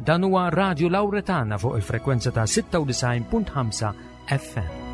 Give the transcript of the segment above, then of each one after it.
Dan huwa Radio Lauretana fuq il-frekwenza ta' 96.5 FM.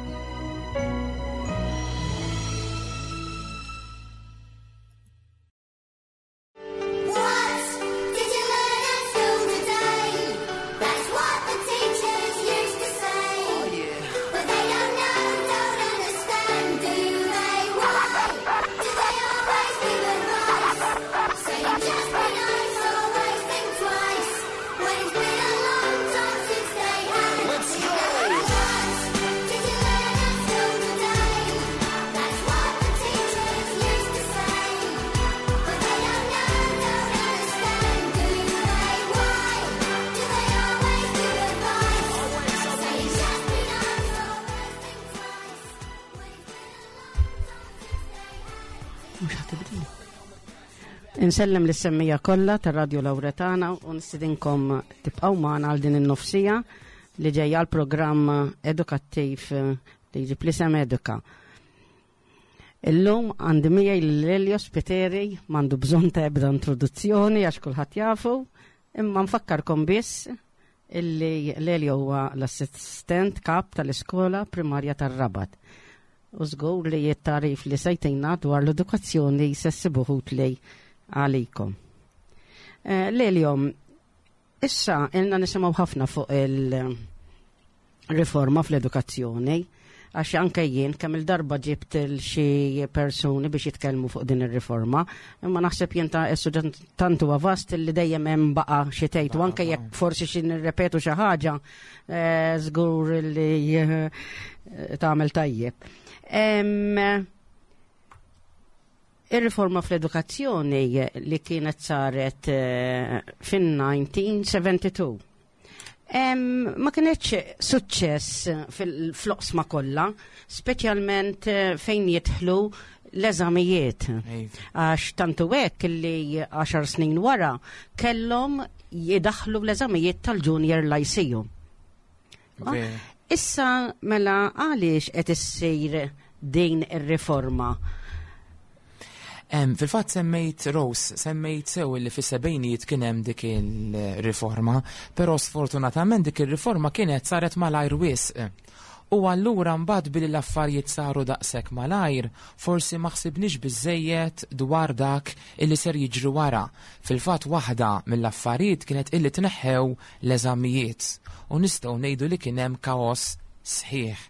Insellem lis-semmija kollha tar-Radju Lawretana u nistidinkom tibqgħu magħna għal din in-nofsija li ġejja l-programm edukattiv li jġib l-isem Eduka. Illum għandi miegħi lil Elio Spiteri m'għandu bżonn ta' ebda introduzzjoni għax kulħadd jafu, imma nfakkarkom biss illi Lelio huwa l-assistent kap tal-iskola primarja tar-Rabat. U żgur li t-tagħrif li se jtina dwar l-edukazzjoni se ssibuh utli għalikom. Eh, Lelio, issa ilna nisimgħu ħafna fuq il-riforma fl-edukazzjoni għax anke jien kemm il-darba ġibt xi persuni biex jitkellmu fuq din ir-riforma, imma naħseb jien ta' is-suġġett tant huwa vast li dejjem hemm baqa' xi tgħid u anke jekk forsi xi nirrepetu xi ħaġa eh, żgur li eh, tagħmel tajjeb. Ir-riforma fl-edukazzjoni li kienet saret eh, fin-1972 Ma kienx suċċess fil-floqsma kollha, speċjalment eh, fejn jidħlu l-eżamijiet. Għax tantu hekk li 10 snin wara kellhom jidaħlu l-eżamijiet tal-Junior Lyceum. Ah, issa mela għaliex qed issir din ir-riforma? Fil-fatt semmejt Rose, semmejt sew li fis-sebgħinijiet kien hemm dik il-riforma, però sfortunatament dik ir-riforma kienet saret malajr wisq. U allura mbagħad billi l-affarijiet saru daqshekk malajr, forsi ma ħsibniex biżżejjed dwar dak illi ser jiġri wara. Fil-fatt waħda mill-affarijiet kienet illi tneħħew l-eżamijiet u nistgħu ngħidu li kien hemm kaos sħiħ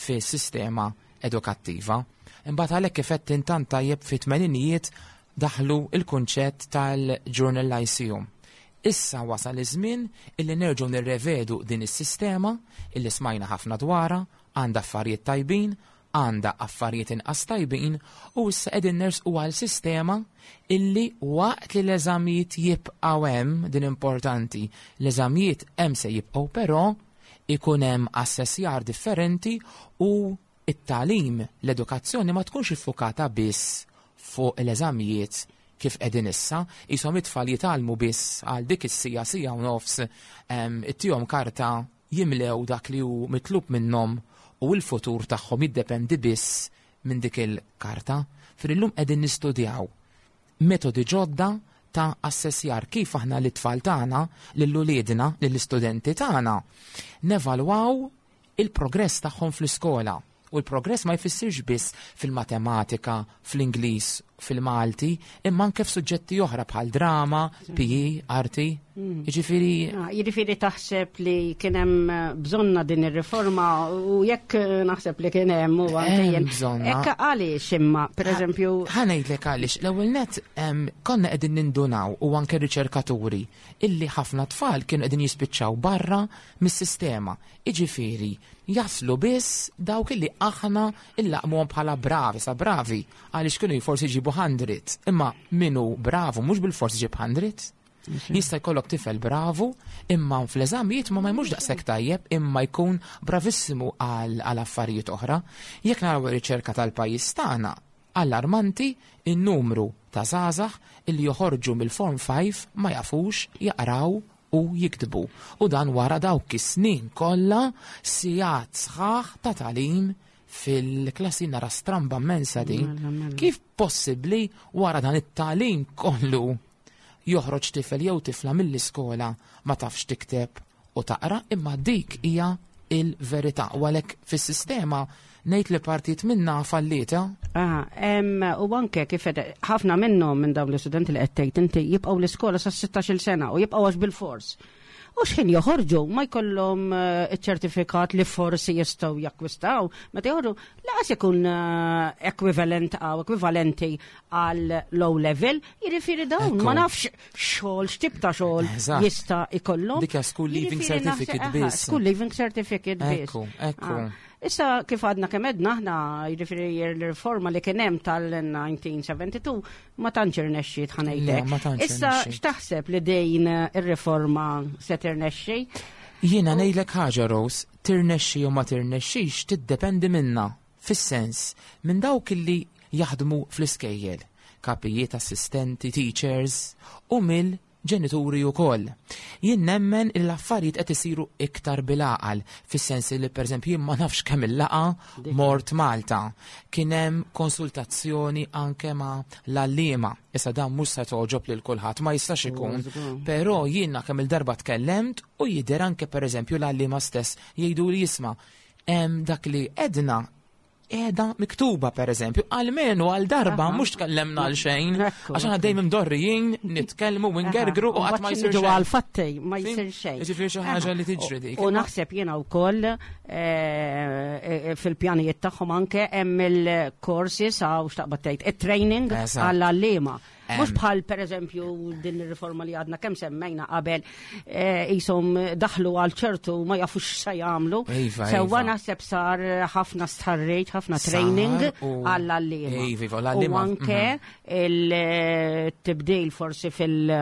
fis-sistema edukattiva. Imbagħad għalhekk kif għedt int tant tajjeb fit-tmeninijiet daħlu l-kunċett tal-Journal Lyceum. Issa wasal iż-żmien illi nerġgħu nirrevedu din is-sistema illi smajna ħafna dwarha, għandha affarijiet tajbin, għandha affarijiet inqas tajbin u issa qegħdin nersqu għal sistema illi waqt li l-eżamijiet jibqgħu hemm, din importanti, l-eżamijiet hemm se jibqgħu però ikun hemm assessjar differenti u t-tagħlim, l-edukazzjoni ma tkunx iffukata biss fuq l-eżamijiet kif qegħdin issa, qishom it-tfal jitgħallmu biss għal dik is-siegħa, siegħa u nofs, ittihom karta jimlew dak li hu mitlub minnhom u l-futur tagħhom jiddependi biss minn dik il-karta. Fir illum qegħdin nistudjaw metodi ġodda ta' assessjar kif aħna lit-tfal tagħna, lil uliedna, lill-istudenti tagħna nevalwaw il-progress tagħhom fl-iskola. U l-progress ma jfissirx biss fil-matematika, fl-Ingliż, fil-Malti, imma anke f'suġġetti oħra bħal drama, PE, arti. Mm. Jiġifieri ah, Jiġifieri taħseb li kien hemm eh, bżonna din ir-riforma u jekk eh, naħseb li kien hemm u anke jien. Hekk għaliex imma, pereżempju. Ħa ngħidlek għaliex, l-ewwel net konna qegħdin nindunaw u anke riċerkaturi illi ħafna tfal kienu qegħdin jispiċċaw barra mis-sistema. Jiġifieri jaslu biss dawk illi aħna illaqmuhom bħala bravi sa bravi għaliex kienu forsi jġibu 100, imma min hu bravu mhux bilfors iġib 100. Jista' jkollok tifel bravu, imma fl-eżamijiet ma ma jmurx daqshekk tajjeb, imma jkun bravissimu għal affarijiet oħra. Jekk naraw ir-riċerka tal-pajjiż tagħna, allarmanti n-numru ta' żgħażagħ illi joħorġu mill-Form 5 ma jafux jaqraw u jiktbu. U dan wara dawk is-snin kollha sigħat sħaħ ta' tagħlim fil-klassi nara stramba mmensa din. Mela, mela. Kif possibbli wara dan it-tagħlim kollu? joħroġ tifel jew tifla mill-iskola ma tafx tikteb u taqra, imma dik hija il-verità. U għalhekk fis-sistema ngħid li partit minna fallita. U anke kif ħafna minnhom minn dawn l-istudenti li qed tgħid inti jibqgħu l-iskola sa 16-il sena u jibqgħu għax bil-fors. U x'ħin joħorġu ma jkollhom iċ-ċertifikat li forsi jistgħu jakkwistaw, meta joħorġu laqas ikun ekwivalent għaw ekwivalenti għal low level, jiġifieri dawn ma nafx xogħol x'tip ta' xogħol jista' jkollhom. Dik school leaving certificate biss. School leaving certificate biss. Ekku, ekku. Issa kif għadna kemm għedna aħna, jiġifieri l-riforma li kien hemm tal-1972 ma tantx irnexxiet ħa ngħidlek. Issa x'taħseb li din ir-riforma se tirnexxi? Jiena ngħidlek ħaġa, Rose, tirnexxi jew ma tirnexxix tiddependi minna, fis-sens minn dawk li jaħdmu fl-iskejjel, kapijiet, assistenti, teachers u mill ġenituri wkoll. Jien nemmen li l-affarijiet qed isiru iktar bil-għaqal, fis-sens li pereżempju jien ma nafx kemm il-laqgħa mort Malta. Kien hemm konsultazzjoni anke ma' l-għalliema. Issa dan mhux se togħġob lil kulħadd, ma jistax ikun. Però jiena kemm il-darba tkellemt u jidher anke pereżempju l-għalliema stess jgħidu li jisma' hemm dak li edna qiegħda miktuba pereżempju, almenu għal darba mhux tkellemna għal xejn, għax aħna dejjem imdorrijin nitkellmu u ngergru u qatt ma jsir xejn. Għal fatti ma jsir xejn. Jiġifieri xi ħaġa li tiġri dik. U naħseb jiena wkoll fil-pjanijiet tagħhom anke hemm il-courses għaw x'taqbad tgħid, it-training għall-għalliema. Mhux bħal pereżempju din ir-riforma li għadna kemm semmejna qabel qishom daħlu għal ċertu ma jafux x'se jagħmlu. Sewwa naħseb sar ħafna stħarriġ, ħafna training għall-għalliema. Iva, U anke il-tibdil forsi fil-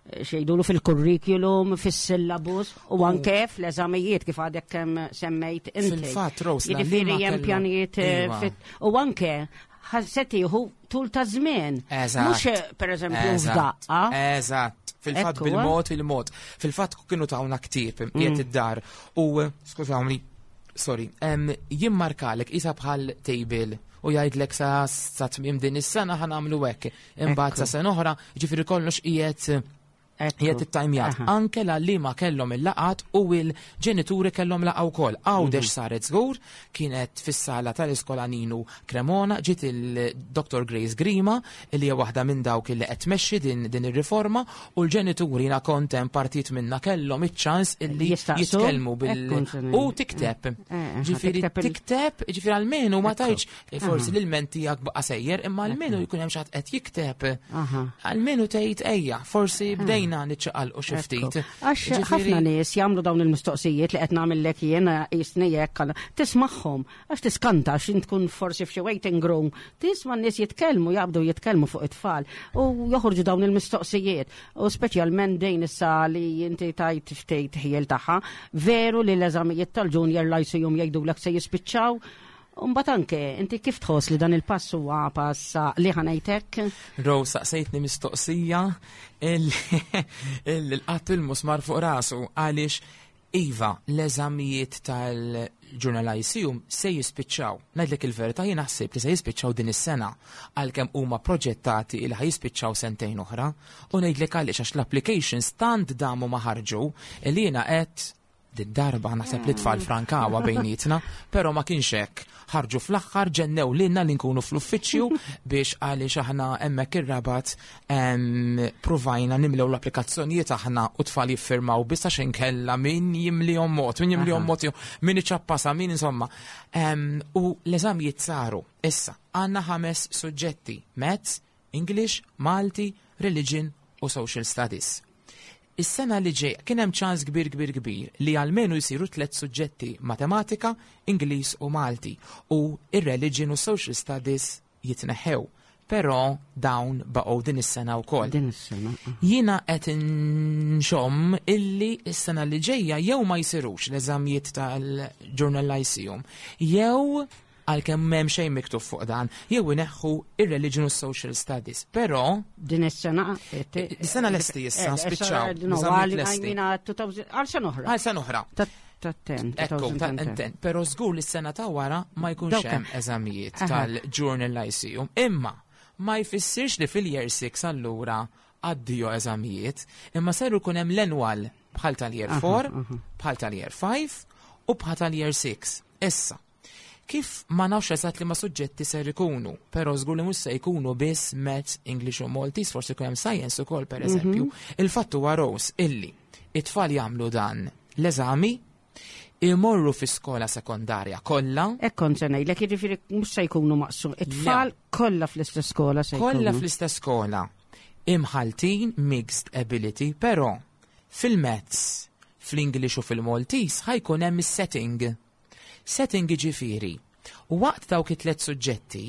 xejdulu fil-curriculum, fis-syllabus u anke fl-eżamijiet kif għadek kemm semmejt inti. Fil-fatt, Rose, Jiġifieri hemm pjanijiet u anke se tieħu tul ta' żmien. Mhux pereżempju f'daqqa. Eżatt. Fil-fatt bil-mod il-mod. Fil-fatt kienu tawna ktieb qiegħed id-dar u skużawni, sorry, jimmarkalek isa bħal table u jgħidlek sa tmiem din is-sena ħa nagħmlu hekk. Imbagħad sa sena oħra, ġifieri kollox qiegħed qiegħed ittajmjat. Anke l-għalliema kellhom il-laqat u l-ġenituri kellhom laqgħa wkoll. Għawdex saret żgur, kienet fis-sala tal-iskola Ninu Cremona, ġiet il-Dr. Grace Grima, li hija waħda minn dawk li qed tmexxi din ir-riforma, u l-ġenituri jiena kont hemm partit minna kellhom iċ-ċans illi jitkellmu bil u tikteb. Ġifieri tikteb, ġifieri almenu ma tgħidx forsi l-ilment tiegħek baqa' sejjer, imma almenu jkun hemm xi ħadd qed jikteb. Almenu tgħid ejja, forsi bdejna niċċaqalqu xi ftit. Għax ħafna nies jagħmlu dawn il-mistoqsijiet li qed nagħmellek jiena jisni hekk, tismagħhom għax tiskanta għax int tkun forsi f'xi waiting room, tisma' n-nies jitkellmu, jaqbdu jitkellmu fuq it-tfal u joħorġu dawn il-mistoqsijiet. U speċjalment dejn issa li inti tajt ftit ħiel tagħha, veru li l-eżamijiet tal-junior lyceum jgħidulek se jispiċċaw. Mbagħad anke inti kif tħoss li dan il-pass huwa pass li ħa ngħidlek? Rose, saqsejtni mistoqsija il-qatt il-musmar fuq rasu għaliex iva l-eżamijiet tal-Junior Lyceum se jispiċċaw. Ngħidlek il-verità jien naħseb li se jispiċċaw din is-sena għalkemm huma proġettati li ħa jispiċċaw sentejn oħra. U ngħidlek għaliex għax l-applications tant damu ma ħarġu li jiena qed din darba naħseb li tfal frankawa bejnietna, però ma kienx hekk. Ħarġu fl-aħħar ġennew lilna li nkunu fl-uffiċċju biex għaliex aħna hemmhekk ir-Rabat provajna nimlew l-applikazzjonijiet aħna u tfal jiffirmaw biss għax inkella min jimlihom mod, min jimlihom mod, min iċappasa, min insomma. U l-eżamijiet saru. Issa, għandna 5 suġġetti: Maths, English, Malti, Religion u Social Studies. Is-sena li ġej kien hemm ċans kbir kbir kbir li almenu jsiru 3 suġġetti: Matematika, Ingliż u Malti, u ir-Religion u Social Studies jitneħħew. Però dawn baqgħu din is-sena wkoll. Din is-sena. Jiena qed nxomm illi s-sena li ġejja jew ma jsirux l-eżamijiet tal-Junior Lyceum, jew għalkemm m'hemm xejn miktub fuq dan, jew ineħħu ir-Religion u Social Studies. Però din is-sena, Is-sena lesti issa, spiċċaw. Eżamijiet lesti. Għal sena oħra. Għal sena oħra. Ta' ten, Ekku, ta' two thousand and ten. ten. Però żgur li s-sena ta' wara ma jkunx hemm eżamijiet tal-Junior Lyceum. Imma ma jfissirx li fil-year 6 allura Addio eżamijiet, imma ser ikun hemm l-annual bħal tal-year 4, bħal tal-year 5 u bħal tal-year 6. Issa, kif ma nafx eżatt li ma suġġetti ser ikunu, però żgur li mhux se jkunu biss Maths, English u Maltese, forsi jkun hemm Science ukoll pereżempju. Il-fatt huwa, Rose, illi it-tfal jagħmlu dan l-eżami, imorru fi skola sekondarja kollha. Hekk kont se ngħidlek, jiġifieri mhux se jkunu maqsum. It-tfal kollha fl-istess skola se jkunu. Kollha fl-istess skola. Imħaltin, mixed ability, però fil-Maths, fl-English u fil-Maltese ħa jkun hemm is-setting. Setting ġifieri, waqt dawk it-tliet suġġetti,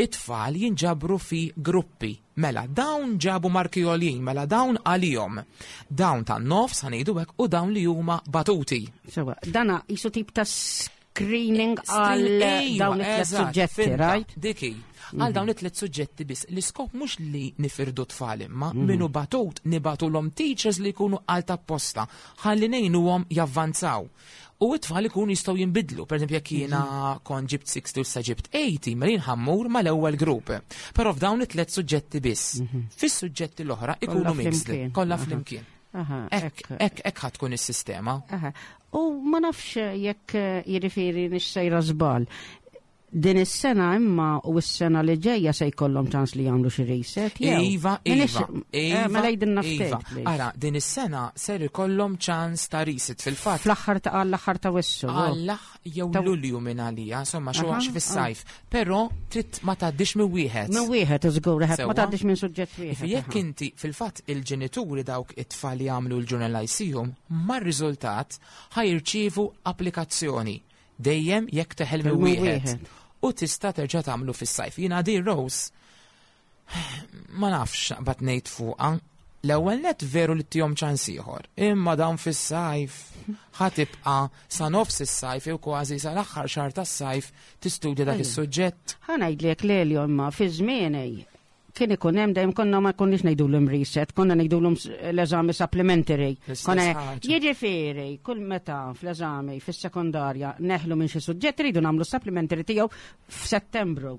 it-tfal jinġabru fi gruppi. Mela, dawn ġabu marki għoljin, mela dawn għalihom. Dawn tan-nofs, ħa ngħidu hekk, u dawn li huma batuti. Sewa, dana jisu tip ta' screening għal dawn it-tliet suġġetti, right? Diki, għal dawn it-tliet suġġetti biss. L-iskop mhux li nifirdu tfal imma minu batut nibagħtulhom teachers li jkunu għal apposta ħalli ngħinuhom javvanzaw. U it-tfal ikunu jistgħu jinbidlu. Per eżempju, jekk jiena kont ġibt 60 u sa ġibt 80, mela jien ħa mmur mal-ewwel grupp. Però f'dawn it-tliet suġġetti biss. Fis-suġġetti l-oħra ikunu mixed, flimkien. Kollha flimkien. Hekk, Hekk ħa tkun is-sistema. Aha. U ma nafx jekk jiġifieri m'iniex sejra żball. Din is-sena imma u s-sena li ġejja se jkollhom ċans li jagħmlu xi reset, jew? Iva, M'iniex- Iva, Iva. Mela jgħidilna ftit, Iva. please. Ara, din is-sena ser ikollhom ċans ta' reset fil-fatt. Fl-aħħar ta' għall-aħħar ta' Awwissu. Għall jew Lulju minn għalija, insomma, xi xi fis-sajf. Però trid ma tgħaddix minn wieħed. Minn wieħed iżgur, ma Sewwa. tgħaddix minn suġġett wieħed. Jekk inti fil-fatt il-ġenituri dawk it-tfal li jagħmlu l-Junior Lyceum, mar-riżultat ħa jirċievu applikazzjoni dejjem jekk teħel minn Minn wieħed. wieħed. U tista' terġa' tagħmlu fis-sajf. Jiena di Rose ma nafx naqbad ngħid fuqha. L-ewwel net veru li ttihom ċans ieħor, imma dawn fis-sajf ħa tibqa' sa nofs is-sajf jew kważi sa l-aħħar xahar tas-sajf tistudja dak is-suġġett. Ħa ngħidlek Lelio imma fi żmieni kien ikun hemm dejjem konna ma konniex ngħidulhom reset, konna ngħidulhom l-eżami supplementary. L-istess Konna ħaġa. jiġifieri kull meta fl-eżami fis-sekondarja neħlu minn xi suġġett iridu nagħmlu supplementary tiegħu f'Settembru.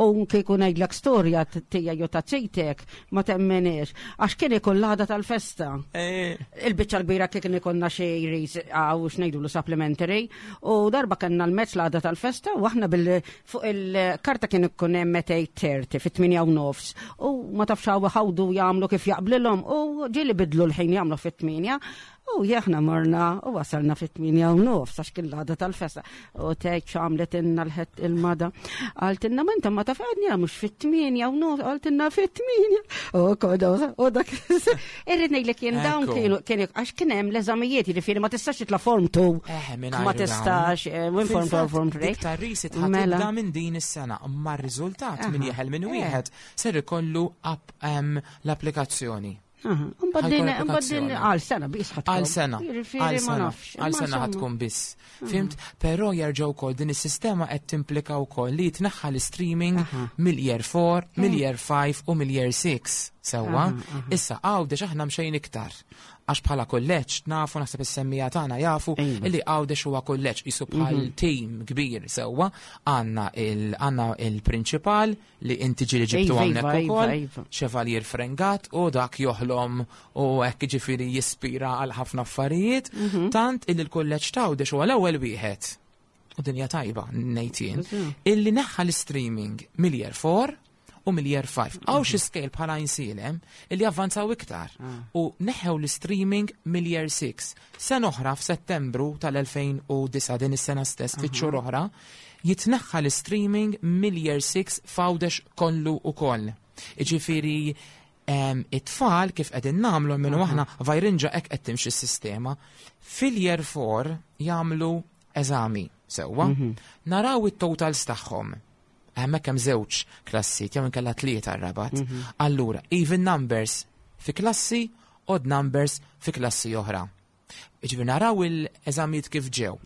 U kieku ngħidlek storja tiegħi jew ta' zitek ma temmenix għax kien ikun l-għada tal-festa. Il-biċċa l-kbira kien ikollna xi għaw x'ngħidulu supplementary u darba kellna l-Maths l-għada tal-festa u aħna bil fuq il-karta kien ikun hemm 8:30 fit-8:30 u ma tafx hawn ħawdu jagħmlu kif jaqblilhom u ġieli bidlu l-ħin jagħmlu fit-8 u aħna morna u wasalna fit-8:30 għax kien l-għada tal-festa u tgħid x'għamlet inna l-ħed il-mada. Qaltilna ma inta ma taf għadni mhux fit-8:30, qaltilna fit-8. U koda u dak irrid ngħidlek jien dawn kienu kienu għax kien hemm l-eżamijiet, jiġifieri ma tistax titla' form 2. Minn Ma tistax, minn form 2 form 3. Dik tar-reset ħa tibda minn din is-sena, imma r-riżultat min jeħel minn wieħed ser ikollu l-applikazzjoni. Mbagħad din mbagħad din għal sena biss ħadd Għal sena. Jiġifieri Għal ma sena. nafx. Għal Imma sena insomma. ħa tkun biss. Fhimt? Però jerġgħu wkoll din is-sistema qed timplika wkoll li jitneħħa l-streaming mill-year 4, mill-year 5 u mill-year 6. Sewwa? Issa Għawdex aħna mxejn iktar. Għax bħala kulleġġ nafu naħseb is-semmiegħa tagħna jafu illi Għawdex huwa kulleġġ jisu bħal team kbir sewwa. Għandna il-prinċipal li inti ġieli ġibtu hawnhekk ukoll, Chevalier Frengat, u dak joħlom u hekk ġifieri jispira għal ħafna affarijiet, tant illi l-kulleġġ t'Għawdex huwa l-ewwel wieħed. U dinja tajba, ngħid jien, illi neħħa l-streaming mill-year 4 u mill-year 5. Hawn xi skejjel bħala Għajnsielem illi avvanzaw iktar u neħew l-streaming mill-year 6. Sena oħra f'Settembru tal-2009 din is-sena stess, ftit xhur oħra, jitneħħa l-streaming mill-year 6 f'Għawdex kollu ukoll. Iġifieri it-tfal kif qegħdin nagħmlu minnu aħna vajrinġa hekk qed timxi s-sistema. Fil-year 4 jagħmlu eżami sewwa, naraw it-totals tagħhom. Hemmhekk hemm żewġ klassijiet jew inkella tlieta r-Rabat. Allura, even numbers fi klassi, odd numbers fi klassi oħra. Ġifieri naraw il-eżamijiet kif ġew.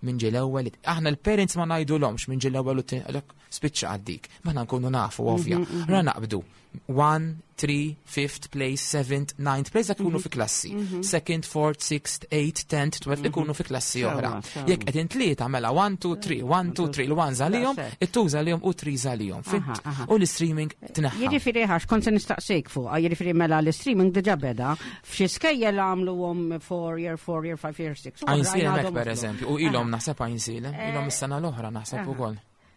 Min ġie l-ewwel, aħna l-parents ma ngħidulhomx min ġie l-ewwel u t-tieni, spiċċa għaddik. Ma nkunu nafu ovvja. Ra naqbdu. 1, 3, 5th place, 7th, 9th place, dak ikunu fi klassi. 2nd, 4th, 6th, 8th, 10th, 12th ikunu fi klassi oħra. Jekk qegħdin tlieta mela 1, 2, 3, 1, 2, 3, l-1 għalihom, it-2 għalihom u 3 għalihom. U l-streaming tneħħa. Jiġifieri ħax kont se nistaqsik fuq, jiġifieri mela l-streaming diġà beda, f'xi skejjel għamluhom 4 year, 4 year, 5 year, 6. Għajnsielem hekk pereżempju, u ilhom naħseb Għajnsielem, ilhom is-sena l-oħra naħseb ukoll.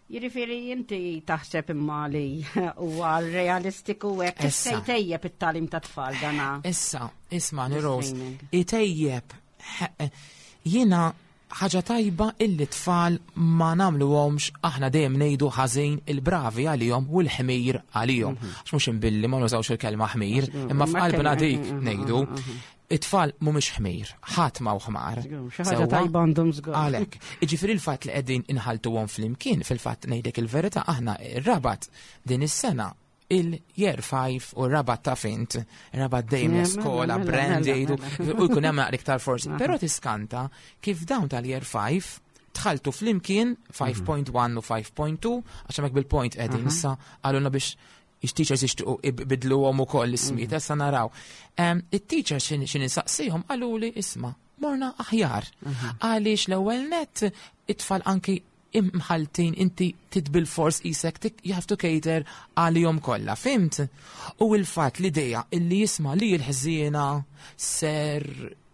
Jiġifieri inti taħseb imma li huwa realistiku hekk se jtejjeb it-tagħlim ta' tfal dana. Issa, isma' Rose, itejjeb jiena ħaġa tajba illi tfal ma nagħmluhomx aħna dejjem ngħidu ħażin il-bravi għalihom u l-ħmir għalihom. Għax mhux imbilli ma nużawx il-kelma ħmir, imma f'qalbna dik ngħidu. It-tfal mhumiex ħmir, ħadd ma hu ħmar. Xi ħaġa tajba għandhom żgur. Għalhekk, jiġifieri l-fatt li qegħdin inħaltuhom flimkien, fil-fatt ngħidlek il-verità aħna r-Rabat din is-sena il-year 5 u r-Rabat ta' fint, Rabat dejjem l-iskola, brand jgħidu, u jkun hemm naqra iktar forsi. Però tiskanta kif dawn tal-year 5 tħaltu flimkien 5.1 u 5.2, għax hemmhekk bil-point qegħdin issa qalulna biex Ix-teachers jixtiequ ibidluhom ukoll l-ismijiet, issa naraw. It-teachers xi nistaqsihom qaluli isma' morna aħjar. Għaliex l-ewwel net it-tfal anki imħaltin inti titbil fors isek you have to cater għalihom kollha, fimt? U l-fatt l-idea illi jisma' li l-ħżiena ser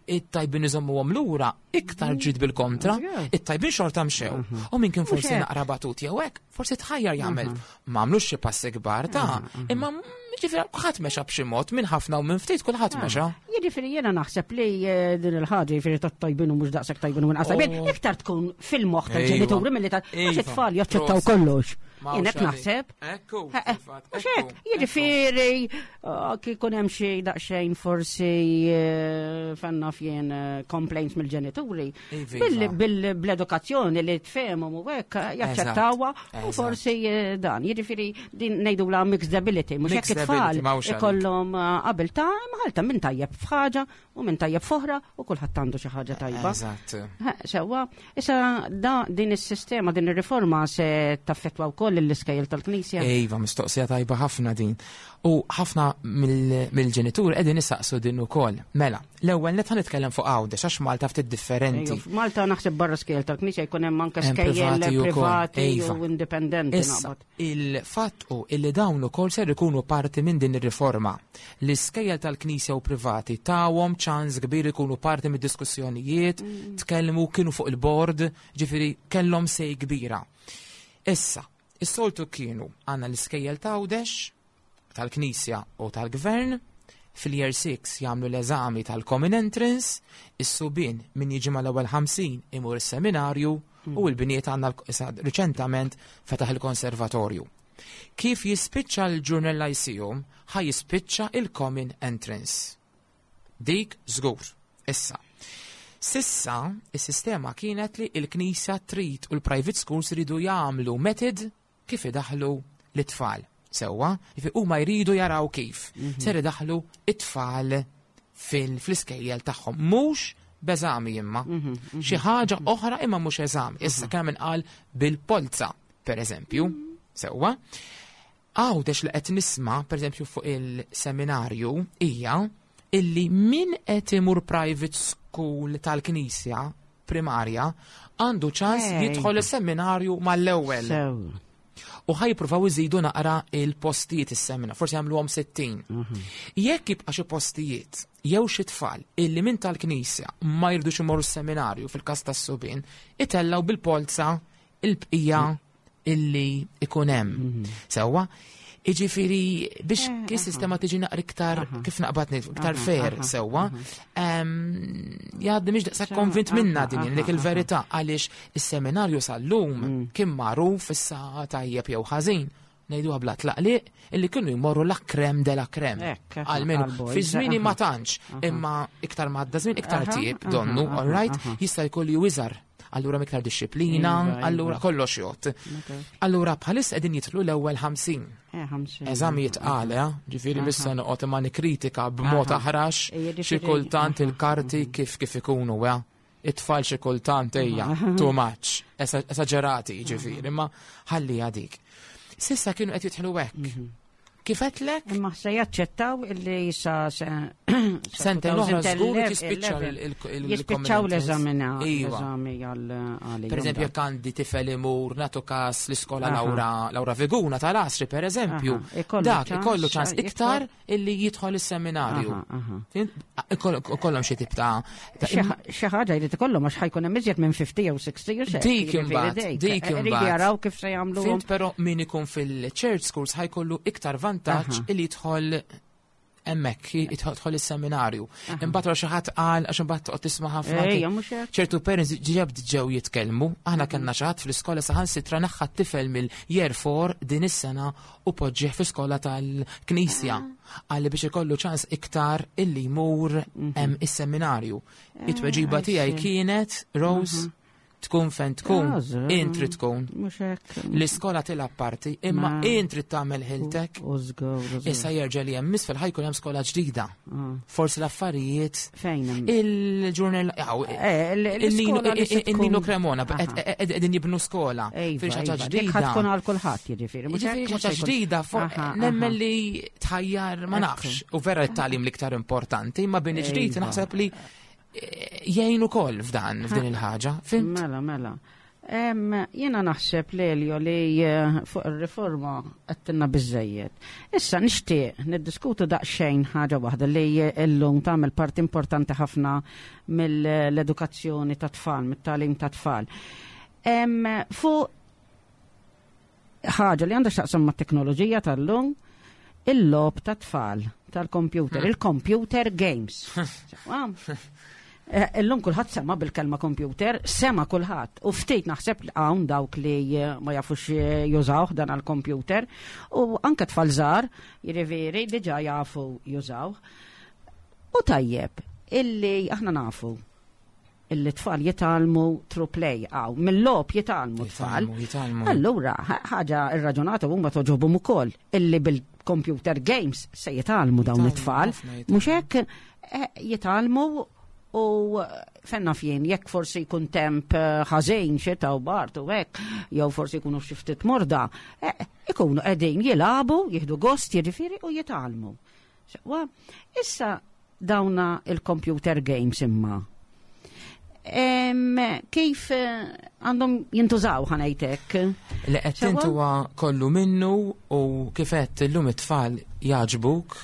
it-tajbin iżommuhom lura iktar ġid bil-kontra, it-tajbin xorta mxew. U min kien forsi naqra batut jew hekk, forsi tħajjar jagħmel. Ma għamlux xi passi kbar ta' imma ġifieri kulħadd mexa b'xi mod minn ħafna u minn ftit kulħadd mexa. Jiġifieri jiena naħseb li eh, din il-ħaġa jiġifieri tat-tajbin u mhux daqshekk tajbin u inqas tajbin, oh. iktar tkun fil-moħħ tal-ġenituri milli tal għax it-tfal jaċċettaw kollox. Jien hekk naħseb. Ekku, Mhux hekk, jiġifieri ah, kikun hemm xi daqsxejn forsi eh, fanna fjen eh, complaints mill-ġenituri. Bil-edukazzjoni li tfehmhom u hekk jaċċettawha u forsi eh, dan. Jiġifieri din ngħidu la mixed ability, mhux hekk it-tfal ikollhom abilta maħalta minn tajjeb f'ħaġa u minn tajjeb foħra u kulħadd għandu xi ħaġa tajba. Eżatt. Sewwa, issa da din is-sistema, din ir-riforma se taffettwa wkoll l-iskejjel tal-Knisja. Iva, mistoqsija tajba ħafna din. U ħafna mill-ġenitur qegħdin isaqsu din ukoll. Mela, l-ewwel net nitkellem fuq Għawdex għax Malta ftit differenti. Malta naħseb barra skejjel tal-Knisja jkun hemm anke skejjel privati iva. u indipendenti. Issa, Il-fatt hu illi dawn ukoll ser ikunu parti minn din ir-riforma. L-iskejjel tal-Knisja u privati tawhom ċans kbir ikunu parti mid-diskussjonijiet, tkellmu, kienu fuq il-bord, ġifieri kellhom say kbira. Issa, is-soltu kienu għandna l-iskejjel t'Għawdex, tal-Knisja u tal-Gvern, fil-Year 6 jagħmlu l-eżami tal-Common Entrance, is-subien min jiġi mal-ewwel 50 imur is-seminarju u l-bniet għandna riċentament fetaħ il-konservatorju. Kif jispiċċa l-Junior Lyceum ħa jispiċċa il-Common Entrance. Dik żgur. Issa, sissa is-sistema kienet li l-Knisja trid u l-private schools iridu jagħmlu method kif idaħħlu lit-tfal. Sewwa, jiġifieri huma jridu jaraw kif mhm. ser idaħħlu it-tfal fil-iskejjel tagħhom. Mhux b'eżami imma. Mhm, mhm, Xi ħaġa oħra imma mhux eżami. Issa kemm inqal bil-polza, per eżempju. Sewwa. Għawdex li qed nisma', per eżempju fuq il-seminarju, hija illi min qed imur private school tal-Knisja primarja għandu ċans jidħol is-seminarju mal-ewwel. U ħa jippruvaw iżidu naqra il-postijiet is-semina, forsi jagħmluhom 60. Mhm. Jekk jibqa' xi postijiet jew xi tfal illi minn tal-Knisja ma jirdux imorru s-seminarju fil-każ tas-subien, itellgħu bil-polza il-bqija illi ikun hemm. Mhm. Sewwa, Iġifiri, biex eh, sistema tiġi naqra iktar, kif naqbad ngħid, iktar fair sewwa, jgħaddi mhix daqshekk konvint minna din dik il-verità għaliex is-seminarju sal-lum mm. kien magħruf issa tajjeb jew ħażin ngħiduha bla tlaqliq illi kienu jmorru la krem de la krem. Almenu fi żmieni ma tantx, imma iktar ma għadda żmien iktar tjieb donnu, all right, jista' jkollu iżgħar. Allura miktar disċiplina, allura kollox jgħodd. Allura bħalissa qegħdin jidħlu l-ewwel 50. Eżami jitqal, ġifieri missa noqgħod imma nikkritika b'mod aħrax xi kultant il-karti kif kif ikunu, it-tfal xi kultant ejja, too much, esaġerati ġifieri, imma ħalli dik. S'issa kienu qed jidħlu hekk. Kif għedtlek? Imma se jaċċettaw illi sa Sentejn oħra żgur jispiċċa jispiċċaw l-eżamina l-eżami għal Per eżempju, jekk għandi tifel imur nagħtu każ l-iskola Laura Laura Viguna tal-Għasri, per eżempju, dak ikollu ċans iktar illi jidħol is-seminarju. Ikollhom xi tip ta' xi ħaġa jrid ikollhom għax ħa jkun hemm iżjed minn 50 jew 60 jew Dik imbagħad, dik imbagħad. jaraw kif se jagħmlu. Però min ikun fil-church schools ħa jkollu iktar vantaġġ illi jidħol hemmhekk, jidħol is-seminarju. Imbagħad xi ħadd qal għax imbagħad toqgħod tisma' ħafna. Ċertu parents ġieb ġew jitkellmu, aħna kellna xi ħadd fl-iskola saħansitra neħħa t-tifel mill-year 4 din is-sena u poġġih fi skola tal-Knisja. Għalli biex ikollu ċans iktar illi jmur is-seminarju. It-tweġiba tiegħi kienet, Rose, tkun fejn tkun, int trid tkun. L-iskola tilgħab parti, imma int trid tagħmel ħiltek. Issa jerġa' li hemm isfel ħa jkun hemm skola ġdida. Forsi l-affarijiet. Fejn Il-ġurnal, il-Nino Cremona, qegħdin jibnu skola. Fil ħaġa ġdida. Tkun għal kulħadd jiġifieri. Ħaġa ġdida, nemmen li tħajjar ma nafx. U vera t-tagħlim l-iktar importanti, ma bini ġdid naħseb li jgħin ukoll f'dan f'din il-ħaġa. Fhimt? Mela, mela. Jiena naħseb Lelio li fuq ir-riforma għedtilna biżżejjed. Issa nixtieq niddiskutu daqsxejn ħaġa waħda li llum tagħmel parti importanti ħafna mill-edukazzjoni ta' tfal, mit-tagħlim ta' tfal. Fuq ħaġa li għandha x'taqsam mat-teknoloġija tal-lum, il-logħob ta' tfal tal-computer, il-computer games. Illum kulħadd sema bil-kelma computer, sema kulħadd. U ftit naħseb li hawn dawk li ma jafux jużawh dan għal-computer u anke tfal żgħar, jiġifieri diġà jafu jużawh. U tajjeb, illi aħna nafu illi tfal jitgħallmu through play għaw, mill-logħob jitgħallmu tfal. Allura, ħaġa irraġunata huma togħġobhom ukoll illi bil-computer games se jitgħallmu dawn it-tfal. Mhux hekk jitgħallmu u fenna fjien, jekk forsi jkun temp ħażin xita u bard u hekk, jew forsi jkunu xi ftit morda, ikunu qegħdin jilagħbu, jieħdu gost jiġifieri u jitgħallmu. Issa dawna il-computer games imma. Kif għandhom jintużaw ħa ngħidlek? Li qed huwa kollu minnu u kif qed illum it-tfal jogħġbuk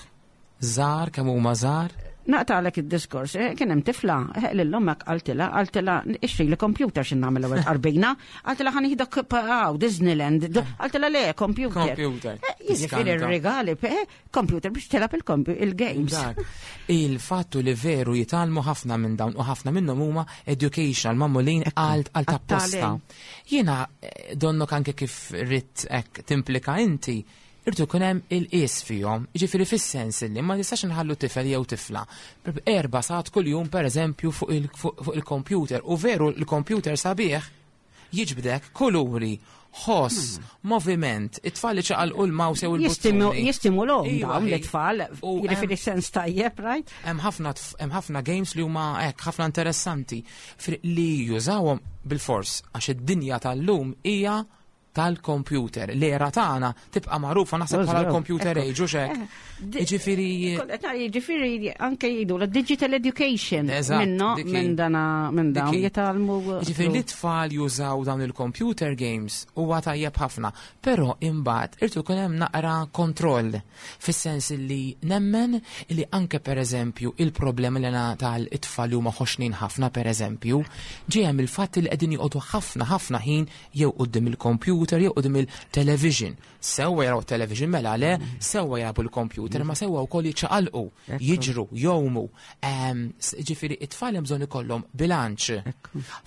żgħar kemm huma żgħar. Naqtagħlek id-diskors, kien hemm tifla, lil ommek qaltilha ixtri li computer x'in nagħmel ewwel qarbina, qaltilha ħa nieħdok għaw Disneyland, qaltilha le computer. Computer. Jiġifieri r-regali, computer biex tilgħab il-games. Il-fattu li veru jitgħallmu ħafna minn dawn u ħafna minnhom huma educational magħmulin għal tapposta. Jiena donnok anke kif ridt hekk timplika inti, irtu jkun hemm il-qies fihom, jiġifieri fis-sens li ma tistax nħallu tifel jew tifla 4 sigħat kuljum pereżempju fuq il-computer u veru il-computer sabiħ jiġbdek kuluri, ħoss, moviment, it-tfal li ċaqalqu l-mouse jew il-buttuni. Jistimulhom dawn l-tfal, jiġifieri sens tajjeb, right? Hemm ħafna games li huma hekk ħafna interessanti li jużawhom bil-fors għax id-dinja tal-lum hija tal-computer. L-era tagħna tibqa' magħrufa naħseb bħala l-computer age u xek. Jiġifieri Jiġifieri anke jgħidu la digital education minnu minn dana minn dawn jitgħallmu. Jiġifieri li tfal jużaw dawn il-computer games huwa tajjeb ħafna, però imbagħad irtu jkun hemm naqra kontroll fis-sens li nemmen li anke pereżempju il-problemi li tal-itfal li huma ħoxnin ħafna pereżempju, ġejja mill-fatt li qegħdin joqogħdu ħafna ħafna ħin jew quddiem il-computer. il-computer jew quddiem il-television. Sewwa jaraw television mela le, sewwa jaraw il-computer, ma sewwa wkoll jiċċaqalqu, jiġru, jgħumu. Ġifieri it-tfal hemm bżonn ikollhom bilanċ.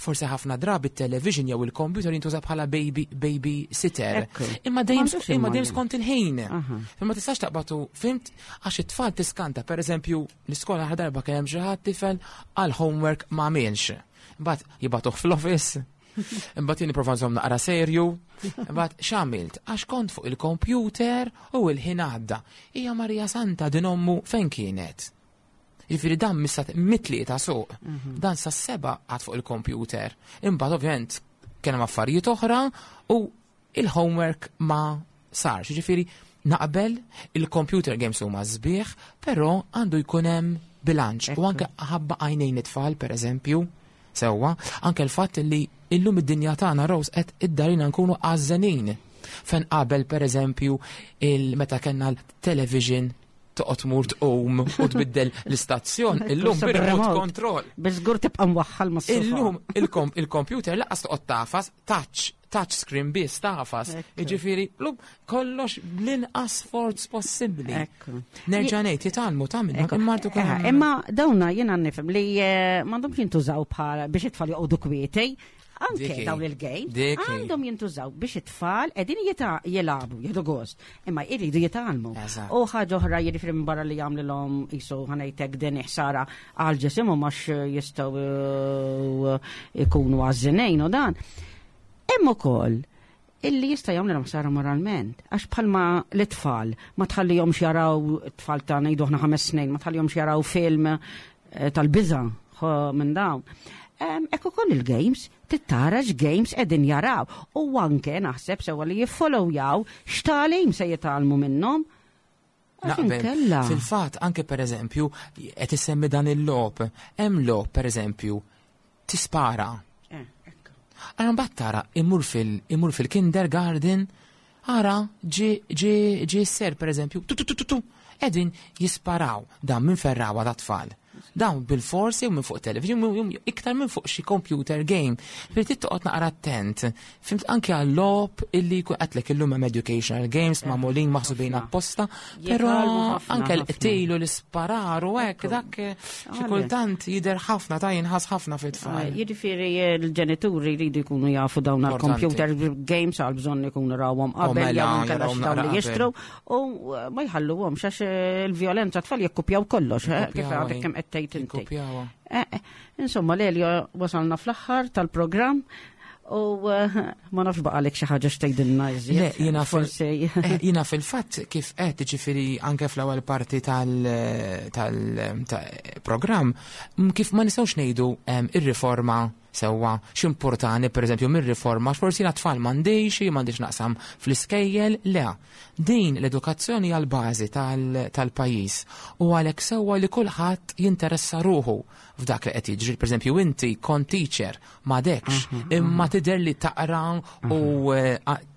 Forsi ħafna drabi it-television jew il-computer jintuża bħala baby baby sitter. Imma dejjem imma dejjem skont il-ħin. Ma tistax taqbatu, fhimt, għax it-tfal tiskanta, pereżempju, l-iskola darba kien hemm xi ħadd tifel għal homework ma għamilx. Imbagħad jibagħtuh fl-office. Imbagħad jien nipprova nżomm naqra serju. Imbagħad x'għamilt? Għax kont fuq il-computer u l-ħin għadda. Hija Marija Santa din ommu fejn kienet? Jiġifieri dan missa mit-tlieta suq. Dan sa seba għad fuq il-computer. Imbagħad ovvjament kien hemm affarijiet oħra u il-homework ma sarx. Jiġifieri naqbel il-computer games huma sbieħ, però għandu jkun hemm bilanċ. U anke ħabba għajnejn it-tfal, per eżempju, sewwa, anke l-fatt li illum id-dinja tagħna Rose qed iddarina nkunu għażżenin. Fejn qabel per eżempju il-meta kellna l-television toqgħod tmur tqum u tbiddel l-istazzjon, illum bir-remote control. Biżgur tibqa' mwaħħal mas Illum il-computer lanqas toqgħod tagħfas touch touch screen biss tagħfas. Jiġifieri llum kollox bl-inqas sforz possibbli. Nerġa' ngħid jitgħallmu ta' minnu imma Imma dawna jiena nifhem li m'għandhomx jintużaw bħala biex it-tfal joqogħdu kwieti. Anke dawn il-game għandhom jintużaw biex it-tfal qegħdin jilagħbu, jieħdu gost, imma jridu jitgħallmu. U ħaġa oħra jiġifieri minn barra li jagħmlilhom qisu ħa ngħidlek din ħsara għal ġisimhom għax jistgħu ikunu għażżenin u dan. Hemm ukoll illi jista' jagħmlilhom ħsara moralment, għax bħalma l-tfal ma tħallihomx jaraw tfal ta' ngħidu aħna 5 snin, ma tħallihomx jaraw film tal-biża' minn dawn. Ekku ukoll il-games, tittara games qegħdin jaraw. U anke naħseb sewa li jiffollowjaw x'tagħlim se jitgħallmu minnhom. Naqbel. Fil-fatt, anke per eżempju, qed issemmi dan il-logħob. Hemm logħob per eżempju, tispara. Għara mbagħad tara imur fil-kindergarten, ara ġi ser per eżempju, tu tu tu tu, qegħdin jisparaw dan minn ferrawa ta' tfal. Dawn bil-forsi u minn fuq television, iktar minn fuq xi computer game. Per toqgħod naqra attent. Fhimt anke għal-logħob illi jkun għedtlek illum hemm educational games magħmulin maħsubin apposta, però anke l-qtilu l-isparar u hekk dak xi kultant jidher ħafna ta' jinħas ħafna fit-tfal. Jiġifieri l-ġenituri jridu jkunu jafu dawn għal-computer games għal bżonn ikunu rawhom qabel mela, jew inkella dawn li jixtru u ma jħalluhomx għax il-vjolenza tfal jekkupjaw kollox, kif għadek kemm qed tgħid inti. Insomma, Lelio, wasalna fl-aħħar tal-programm u ma nafx baqalek xi ħaġa x'tgħidilna iżjed. Le, jiena forsi jiena fil-fatt kif qed ġifieri anke fl-ewwel parti tal-programm kif ma nistgħux ngħidu ir-riforma sewwa x'importani pereżempju mir-riforma forsi jiena tfal m'għandix, m'għandix naqsam fl-iskejjel, le. Din l-edukazzjoni għal bażi tal-pajjiż u għalhekk sewwa li kulħadd jinteressa ruħu f'dak li qed jiġri. Pereżempju inti kont teacher m'għadekx, imma tidher li taqra u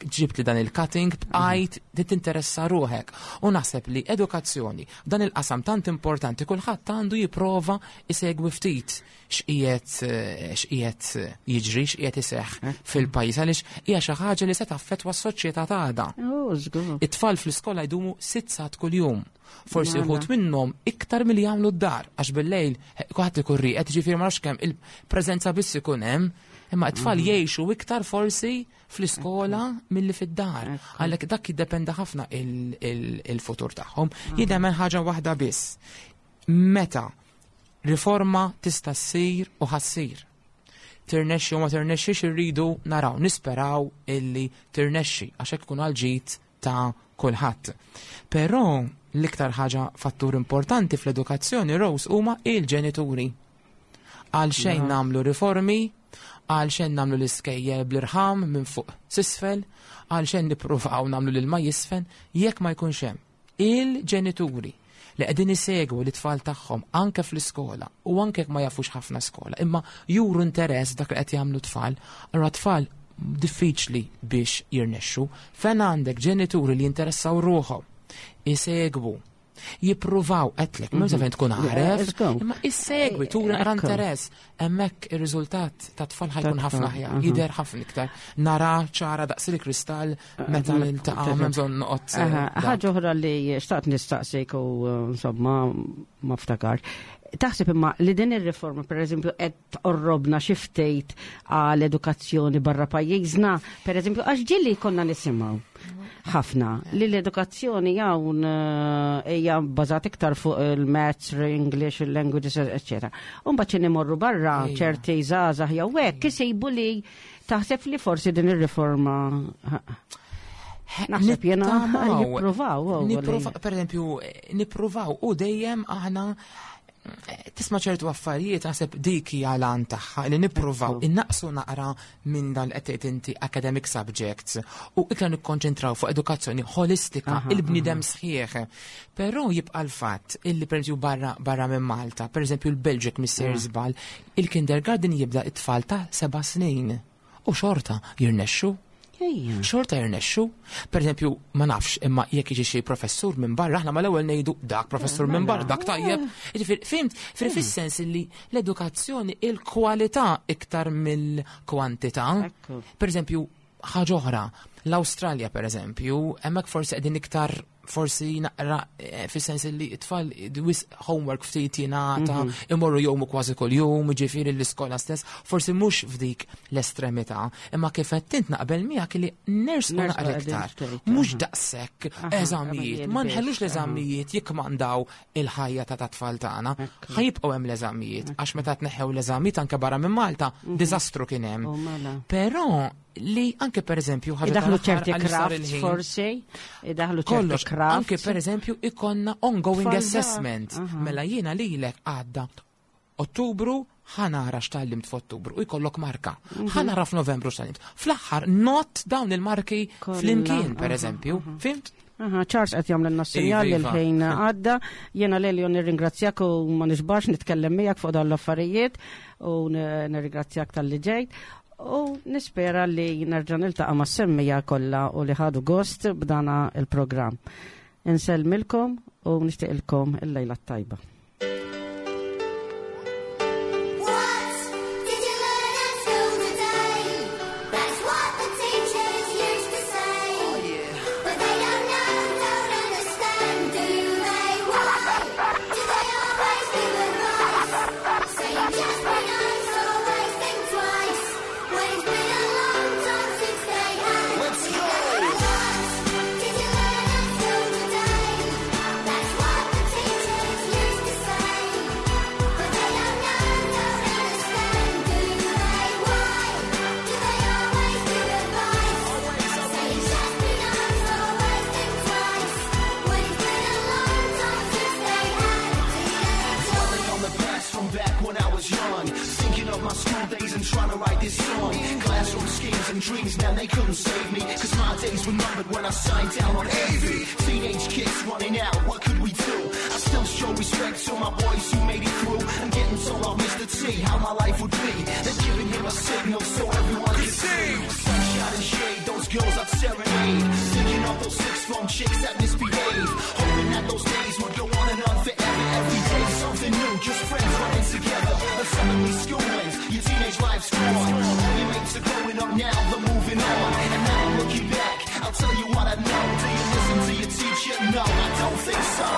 ġibt li dan il-cutting bqajt tinteressa ruħek. U naħseb li edukazzjoni dan il-qasam tant importanti kulħadd għandu jipprova isegwi ftit x'qiegħed jiġri, x'qiegħed iseħħ fil-pajjiż għaliex hija xi ħaġa li se taffettwa s-soċjetà tagħna. It-tfal fl-iskola jdumu 6 sigħat kuljum. Forsi uħud minnhom iktar milli jagħmlu d-dar għax bil-lejl kulħadd ikun rieqed, ġifieri ma nafx kemm il-preżenza biss ikun hemm, imma t-tfal jgħixu iktar forsi fl-iskola milli fid-dar. Għalhekk dak jiddependi ħafna il-futur tagħhom. Jidhemen ħaġa waħda biss. Meta riforma tista' ssir u ħa ssir. Tirnexxi u ma tirnexxix irridu naraw, nisperaw illi tirnexxi għax hekk ikun għal-ġid ta' kulħadd. Però l-iktar ħaġa fattur importanti fl-edukazzjoni Rose huma il-ġenituri. Għal xejn nagħmlu riformi, għal xejn nagħmlu l-iskejjel bl-irħam minn fuq s'isfel, għal xejn nippruvaw nagħmlu l-ilma jisfen, jekk ma jkunx hemm il-ġenituri li qegħdin isegwu l-tfal tagħhom anke fl-iskola u anke jekk ma jafux ħafna skola, imma juru interess dak li qed jagħmlu tfal, allura tfal diffiċli biex jirnexxu. Fejn għandek ġenituri li jinteressaw ruħhom, isegwu. Jippruvaw għedtlek, mhux fejn tkun għaref, Let's go. imma issegwi, turi naqra Ekku. interess. Hemmhekk ir-riżultat ta' tfal ħa jkun Ta' ħafna tfal, aħjar, aha. jidher ħafna iktar. Nara ċara daqs il-kristall meta niltaqa' m'hemm bżonn noqgħod. Aha, Ħaġa oħra li xtaqt nistaqsik u insomma ma ftakar. Taħseb imma li din ir-riforma pereżempju qed tqorrobna xi ftit għal edukazzjoni barra pajjiżna, pereżempju għax ġieli konna nisimgħu ħafna li l-edukazzjoni hawn hija bbażat iktar fuq il-maths, l-English, il-languages, eccetera. U mbagħad xi nimorru barra ċerti żgħażagħ jew hekk isibu li taħseb li forsi din ir-riforma Naħseb jena Nittamaw. jippruvaw, oh, Per eżempju, nippruvaw u dejjem aħna tisma' ċertu affarijiet naħseb dik hija l-għan tagħha li nippruvaw innaqsu naqra minn dan qed tgħid inti academic subjects u iktar nikkonċentraw fuq edukazzjoni holistika, il-bniedem sħiħ. Però jibqa' l-fatt illi pereżempju barra minn Malta, pereżempju l-Belġik missier żball, il-kindergarten jibda it-tfal ta' 7 snin u xorta jirnexxu. Xorta jirnexxu. Per eżempju, ma nafx, imma jekk jiġi xi professur minn barra, aħna mal-ewwel ngħidu dak professur minn barra, dak tajjeb. Jiġifieri, fhimt, fis-sens li l-edukazzjoni il-kwalità iktar mill-kwantità. Per eżempju, ħaġa oħra, l-Awstralja per eżempju, hemmhekk forsi qegħdin iktar forsi naqra fis-sens li t-tfal wisq homework ftit jingħata, imorru jgħumu kważi kuljum, ġifieri l-iskola stess, forsi mhux f'dik l-estremità, imma kif qed int naqbel miegħek li nersqu Nersqu naqra qegħdin iktar. ftit, Mhux daqshekk eżamijiet, eżamijiet ma nħellux biss, l-eżamijiet jikkmandaw il-ħajja ta' tfal tagħna. Ħa jibqgħu hemm l-eżamijiet, għax meta tneħħew l-eżamijiet anke barra minn Malta, diżastru kien hemm. U mela. Però li anke per eżempju ħaġa Idaħlu tal-aħħar ċerti għalli sar crafts il-ħin. forsi, idaħlu ċerti Kollox, crafts. anke per eżempju ikollna ongoing Tfal assessment. Mela jiena lilek għadda Ottubru ħa nara x'tgħallimt f'Ottubru u jkollok marka. Ħa nara f'Novembru x'tgħallimt. Fl-aħħar not dawn il-marki Kollha, flimkien per eżempju. Fhimt? Aha, Charles qed jagħmel sinjal li Iva, iva. l-ħin għadda. Jiena Lelio nirringrazzjak u ma nixbax nitkellem miegħek fuq dawn l-affarijiet u nirringrazzjak talli ġejt. U nispera li nerġa' niltaqa' mas-semmiegħa kollha u li ħadu gost b'dana il-programm. Insellmilkom u nixtieqilkom il-lejla t-tajba. What did you learn at school today? That's what the teachers used to say. But they don't know, don't understand, do they? Why do they always give advice? Saying just be nice, always think twice. When it's been a long time since they had. Let's go! What did you learn at school today? That's what the teachers used to say. But they don't know, don't understand, do they? Why do they always give advice? Saying just be nice, always think twice. When it's been a long time since they had a teenage Dwelling on the past from back when I was young. Thinking of my school days and trying to write this song. Classroom schemes and dreams, man, they couldn't save me. 'Cause my days were numbered when I signed down on AV. Teenage kids running out, what could we do? I still show respect to my boys who made it through. I'm getting told off Mr. T how my life would be. They're giving him a signal so everyone could see. Sunshine and shade, those girls I'd serenade. Thinking of those sixth form chicks that misbehave. Hoping that those days would go on and on forever. Every day something new, just friends running together. But suddenly school ends, your teenage life's gone. All your mates are growing up now, they're moving on. And now I'm looking back, I'll tell you what I know. Do you listen to your teacher? No, I don't think so.